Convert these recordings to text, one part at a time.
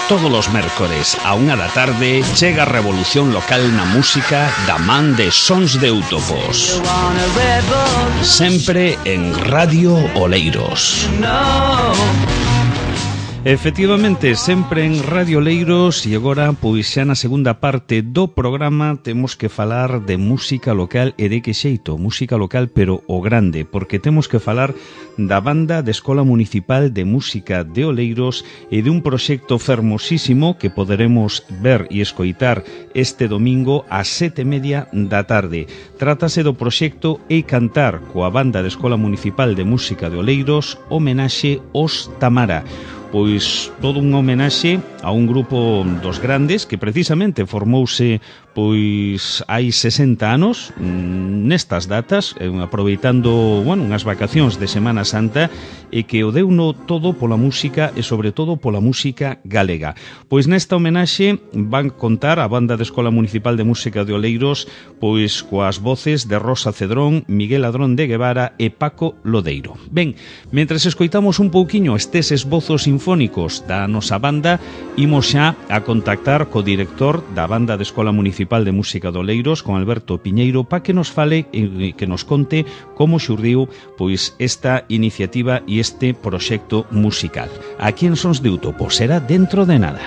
Todos os mércores a 1 da tarde chega a revolución local na música da man de Sons de Eutopos. Sempre en Radio Oleiros. Efectivamente, sempre en Radio Oleiros, e agora, pois xa na segunda parte do programa temos que falar de música local e de que xeito, música local pero o grande, porque temos que falar da banda de Escola Municipal de Música de Oleiros e de un proxecto fermosísimo que poderemos ver e escoitar este domingo ás 7:30 da tarde. Trátase do proxecto E Cantar coa banda de Escola Municipal de Música de Oleiros, homenaxe aos Tamara. Pois todo un homenaxe a un grupo dos grandes que precisamente formouse pois hai 60 anos nestas datas, aproveitando, bueno, unhas vacacións de Semana Santa, e que o deuno todo pola música e sobre todo pola música galega. Pois nesta homenaxe van contar a banda de Escola Municipal de Música de Oleiros pois coas voces de Rosa Cedrón, Miguel Ladrón de Guevara e Paco Lodeiro. Ben, mentres escoitamos un pouquiño estes esbozos sinfónicos da nosa banda, imos xa a contactar co director da banda de Escola Municipal de Música de Oleiros, con Alberto Piñeiro, para que nos fale e que nos conte como xurdiu pois esta iniciativa e este proxecto musical. Aquí en Sons de Eutopos será dentro de nada.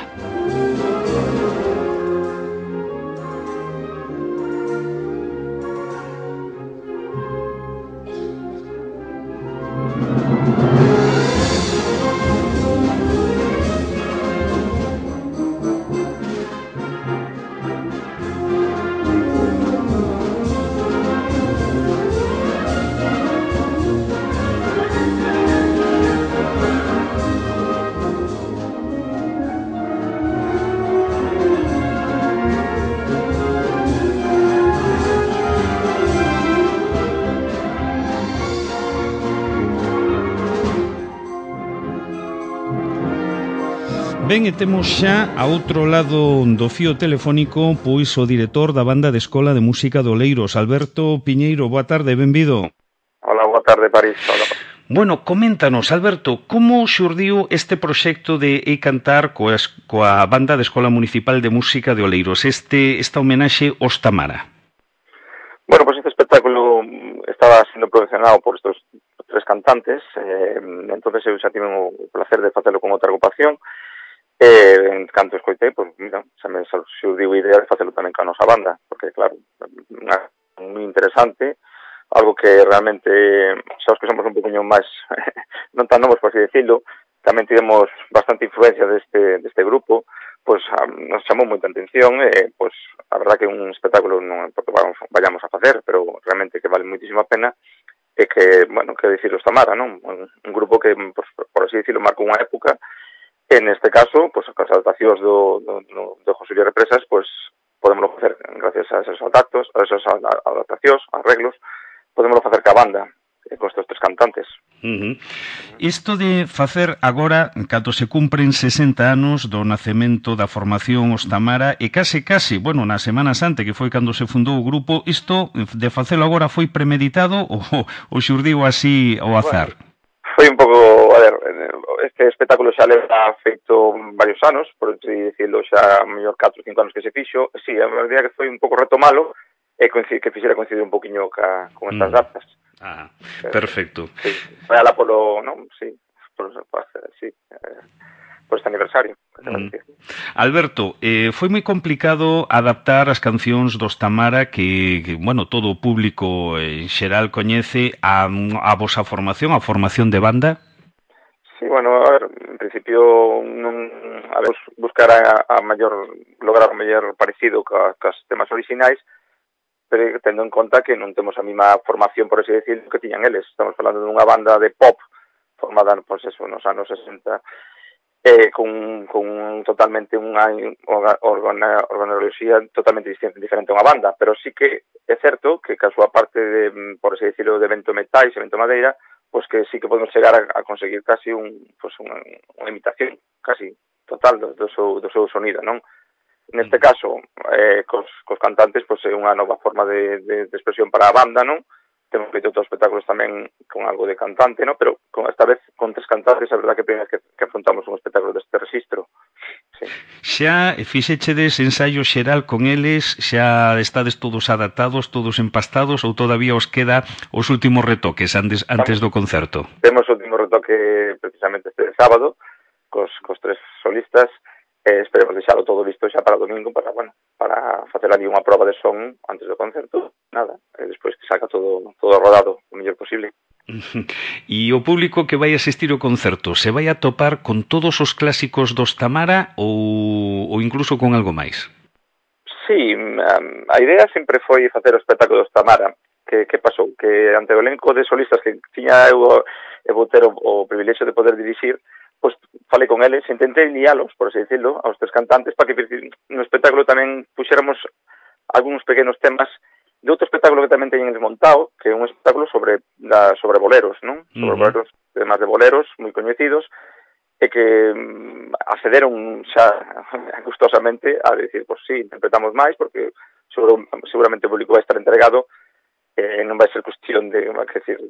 Ben, e temos xa a outro lado do fío telefónico pois o director da banda de Escola de Música de Oleiros, Alberto Piñeiro. Boa tarde, benvido. Hola, boa tarde, París. Hola. Bueno, coméntanos, Alberto, como xurdiu este proxecto de E Cantar coa banda de Escola Municipal de Música de Oleiros, esta homenaxe aos Tamara? Bueno, pues este espectáculo estaba sendo promocionado por estos tres cantantes, entonces eu xa tive o placer de facelo con outra agrupación. En canto escoitei, pois, mira, xa me xurdiu a idea de facelo tamén ca nosa banda, porque, claro, moi interesante, algo que realmente, xa os que somos un poquinho máis, non tan novos, por así decirlo, tamén tivemos bastante influencia deste grupo, pois nos chamou moita atención, pois, a verdad que un espectáculo non é porque vayamos a facer, pero realmente que vale moitísima pena, e que, bueno, que dicir os Tamara, non? Un grupo que, pois, por así decirlo, marcou unha época. En este caso, pues, as adaptacións do José Luis Represas, pues, podemos facer gracias a esos adaptos, a esas adaptacións, arreglos, podemos facer ca banda, con estes tres cantantes. Isto de facer agora, cando se cumpren 60 anos do nacemento da formación Os Tamara, e case, bueno, na Semana Santa, que foi cando se fundou o grupo, isto de facelo agora foi premeditado ou xurdiu así ao azar? Bueno, foi un pouco, a ver, este espectáculo xa leva feito varios anos, por así decirlo, xa mellor 4 ou 5 anos que se fixo. Sí, a verdade que foi un pouco retomalo e que fixera coincidir un poquinho con estas datas. Perfecto. Sí, foi ala polo, non? Sí, por este aniversario. Alberto, foi moi complicado adaptar as cancións dos Tamara que bueno, todo o público en xeral coñece a vosa formación, a formación de banda? Sí, bueno, a ver, en principio buscar lograr o mellor parecido cos temas orixinais, pero tendo en conta que non temos a mesma formación, por así decirlo, que tiñan eles. Estamos falando dunha banda de pop formada, pois eso, nos anos 60, con totalmente unha organoloxía totalmente diferente a unha banda, pero sí que é certo que a súa parte de, por así decirlo, de vento metais e vento madeira, pois que sí que podemos chegar a conseguir casi unha imitación casi total do seu sonido, non? Neste caso, cos cantantes, pois é unha nova forma de expresión para a banda, non? Temos feito outros espectáculos tamén con algo de cantante, ¿no? Pero esta vez con tres cantantes, a verdad que primeira que afrontamos un espectáculo deste registro. sí. Xa fixechedes ensaio xeral con eles, xa estades todos adaptados, todos empastados, ou todavía os queda os últimos retoques antes do concerto? Temos o último retoque precisamente este sábado, cos 3 solistas, esperemos deixalo todo listo xa para o domingo, para facer ali unha proba de son antes do concerto, nada, e despois que saca todo rodado o mellor posible. E o público que vai asistir ao concerto se vai a topar con todos os clásicos dos Tamara ou incluso con algo máis? Sí, a idea sempre foi facer o espectáculo dos Tamara. Que pasou? Que ante o elenco de solistas que tiña eu e vou ter o privilexio de poder dirixir, pois falei con eles, intentei lialos, por así decirlo, aos 3 cantantes, para que no espectáculo tamén puxéramos algúns pequenos temas de outro espectáculo que tamén teñen desmontado, que é un espectáculo sobre boleros, non? Sobre boleros, temas de boleros moi coñecidos, e que accederon xa gustosamente a decir, pois sí, interpretamos máis, porque seguramente o público vai estar entregado, non vai ser cuestión de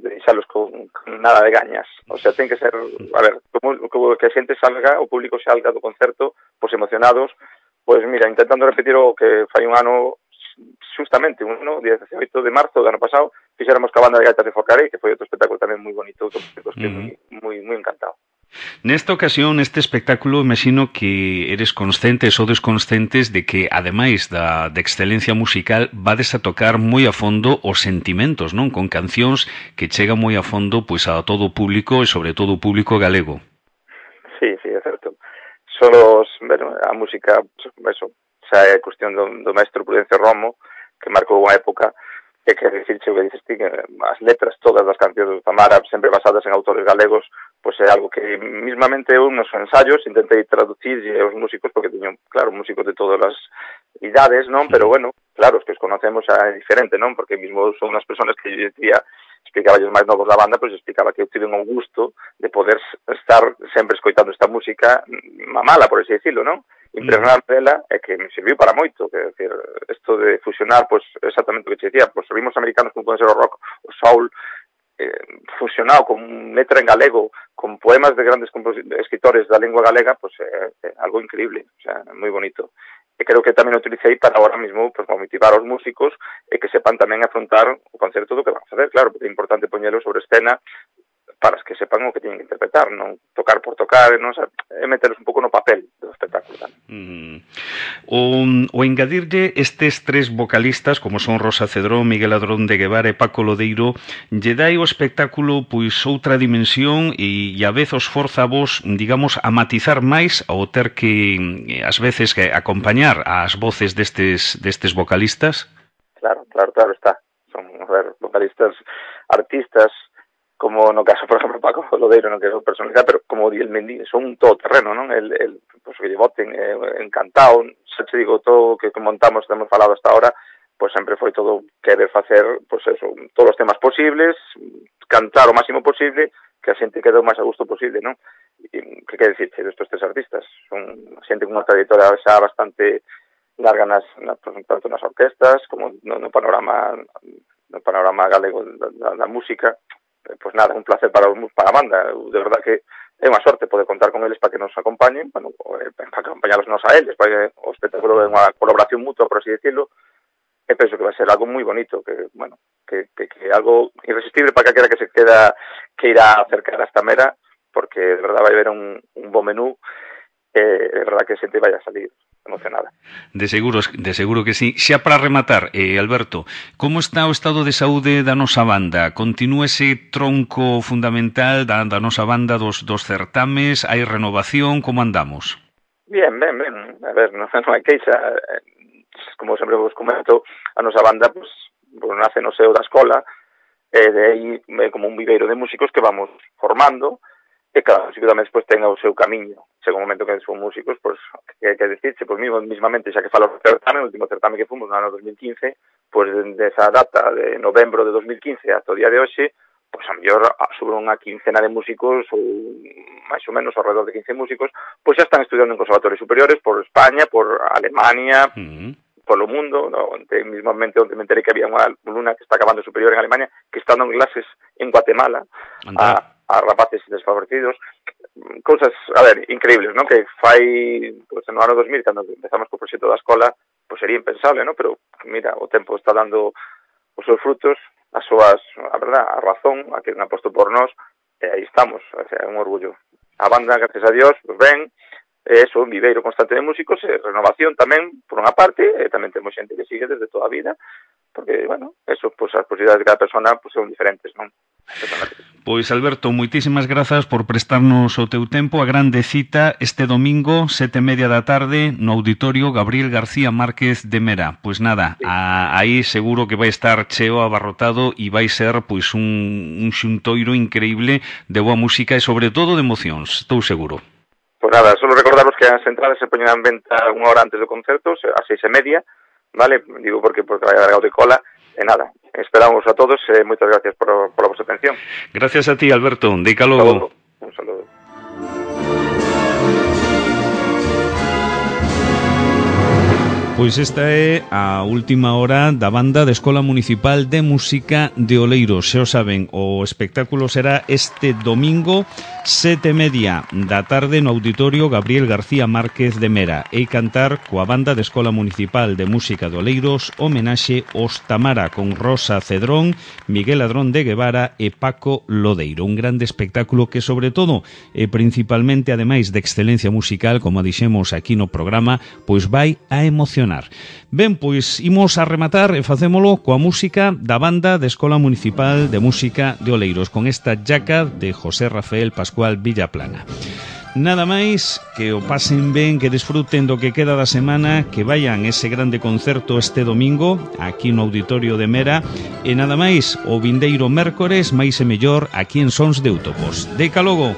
deixalos con nada de gañas. O sea, ten que ser, a ver, como que a xente salga, o público salga do concerto, pois emocionados, pois mira, intentando repetir o que fai un ano, justamente, 18 de marzo do ano pasado, fixéramos ca banda de gaitas de Forcarei, que foi outro espectáculo tamén moi bonito, outro espectáculo que moi encantado. Nesta ocasión, neste espectáculo, imagino que eres conscientes ou desconscientes de que, ademais da excelencia musical, vades a tocar moi a fondo os sentimentos, non? Con cancións que chegan moi a fondo pois a todo o público e sobre todo o público galego. Sí, é certo. A música, eso, xa é cuestión do maestro Prudencio Romo, que marcou unha época, e que dicirche o que dices ti, que as letras todas das cancións do Tamara, sempre basadas en autores galegos, pois é algo que mismamente eu nos ensaios intentei traducir aos músicos, porque teño, claro, músicos de todas as idades, non? Pero bueno, claro, os que os conocemos é diferente, non? Porque mismo son unhas personas que yo dicía, explicaba os máis novos da banda, pois explicaba que eu tive un gusto de poder estar sempre escoitando esta música mamala, por así decirlo, non? Impregnar dela é que me serviu para moito, que decir, isto de fusionar, pois exactamente o que te decía, pois ritmos americanos como poden ser o rock, o soul, fusionado con letra en galego, con poemas de grandes escritores da lengua galega, pois é algo increíble, o sea, moi bonito. E creo que tamén o utilicei para ahora mismo pois, motivar aos músicos e que sepan tamén afrontar o concerto do que van a facer, claro, porque é importante poñelo sobre escena para que sepan o que teñen que interpretar, non tocar por tocar, non é metelos un pouco no papel do espectáculo tamén. O engadirlle estes 3 vocalistas, como son Rosa Cedrón, Miguel Adrón de Guevara e Paco Lodeiro, lle dai o espectáculo pois outra dimensión e a vez os forza a vos, digamos, a matizar máis ao ter que, ás veces, que acompañar as voces destes vocalistas? Claro está. Son, vocalistas, artistas, como no caso, por exemplo, Paco Lodeiro, non que é personalidade, pero como di el Mendy, son un todoterreno, non? El pues, que lle voten, encantado, xa te digo, todo que montamos, que hemos falado hasta ahora, pues sempre foi todo querer facer, pues eso, todos os temas posibles, cantar o máximo posible, que a xente quede o máis a gusto posible, non? E, que quer dicirche destos 3 artistas? Son xente con unha trayectoria xa bastante larga tanto nas orquestas, como no panorama galego da música. Pois nada, un placer para a banda. De verdad que é unha sorte poder contar con eles para que nos acompañen, para acompañarlos nos a eles, para que o espectáculo é unha colaboración mutua, por así decirlo, e penso que vai ser algo moi bonito, que algo irresistible para calquera que se irá a acercar a esta mera, porque de verdad vai haber un bo menú, de verdad que a xente vai a salir emocionada. De seguro que sí. Xa para rematar, Alberto, como está o estado de saúde da nosa banda? Continúa ese tronco fundamental da nosa banda dos certames? Hai renovación? Como andamos? Bien. A ver, non hai queixa. Como sempre vos comento, a nosa banda pues, nace no seo da escola, e de aí como un viveiro de músicos que vamos formando, e cada músico tamén despois ten o seu camiño. Chega un momento que son músicos, pois, que decirse, pois mismamente, xa que falo do certame, o último certame que fomos no ano 2015, pois desa data de novembro de 2015 ata o día de hoxe, pois a mellor sobre unha quincena de músicos, ou máis ou menos ao redor de 15 músicos, pois xa están estudiando en conservatorios superiores por España, por Alemania, polo mundo, mismamente onde me enterei que había unha alumna que está acabando superior en Alemania, que está dando clases en Guatemala, rapaces desfavorecidos, cousas, a ver, increíbles, non? Que fai, pues, no ano 2000, cando empezamos co proxecto da escola, pues sería impensable, non? Pero, mira, o tempo está dando os seus frutos, as súas, a verdad, a razón, a que han aposto por nós, e aí estamos, o sea, é un orgullo. A banda, gracias a Dios, pues ben, é un viveiro constante de músicos, e renovación tamén, por unha parte, e tamén temos xente que sigue desde toda a vida, porque, bueno, eso, pues as posibilidades de cada persona pues, son diferentes, non? Pois, Alberto, moitísimas grazas por prestarnos o teu tempo. A grande cita este domingo, 7:30 da tarde, no Auditorio Gabriel García Márquez de Mera. Pois nada, sí. Aí seguro que vai estar cheo, abarrotado, e vai ser pois un xuntoiro increíble de boa música e sobre todo de emocións, estou seguro. Pois nada, solo recordaros que as entradas se poñen en venta unha hora antes do concerto, a 6:30, vale? Digo porque vai a de cola. E nada, esperamos a todos e moitas gracias por a vosa atención. Gracias a ti, Alberto. Dica logo. Un saludo. Pois esta é a última hora da banda de Escola Municipal de Música de Oleiros. Xa o saben, o espectáculo será este domingo 7:30 da tarde no Auditorio Gabriel García Márquez de Mera. E cantar coa banda de Escola Municipal de Música de Oleiros homenaxe aos Tamara con Rosa Cedrón, Miguel Ladrón de Guevara e Paco Lodeiro. Un grande espectáculo que sobre todo e principalmente ademais de excelencia musical, como dixemos aquí no programa, pois vai a emocionar. Ben, pois imos a rematar e facémolo coa música da banda de Escola Municipal de Música de Oleiros, con esta jaca de José Rafael Pascual Villaplana. Nada máis, que o pasen ben, que desfruten do que queda da semana, que vayan ese grande concerto este domingo aquí no Auditorio de Mera, e nada máis, o vindeiro mércores máis e mellor aquí en Sons de Útopos. Deca logo.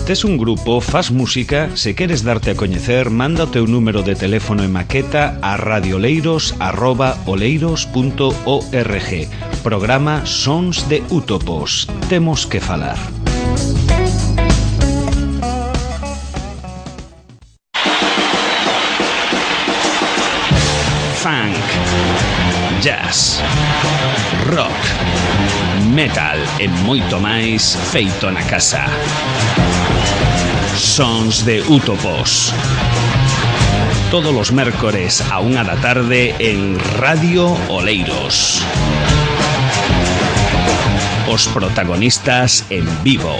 Tes un grupo, fas música, se queres darte a coñecer, manda o teu número de teléfono e maqueta a radioleiros@oleiros.org. Programa Sons de Útopos. Temos que falar. Funk, jazz, rock, metal e moito máis feito na casa. Sons de Útopos. Todos los mércores a 1 da tarde en Radio Oleiros. Os protagonistas en vivo.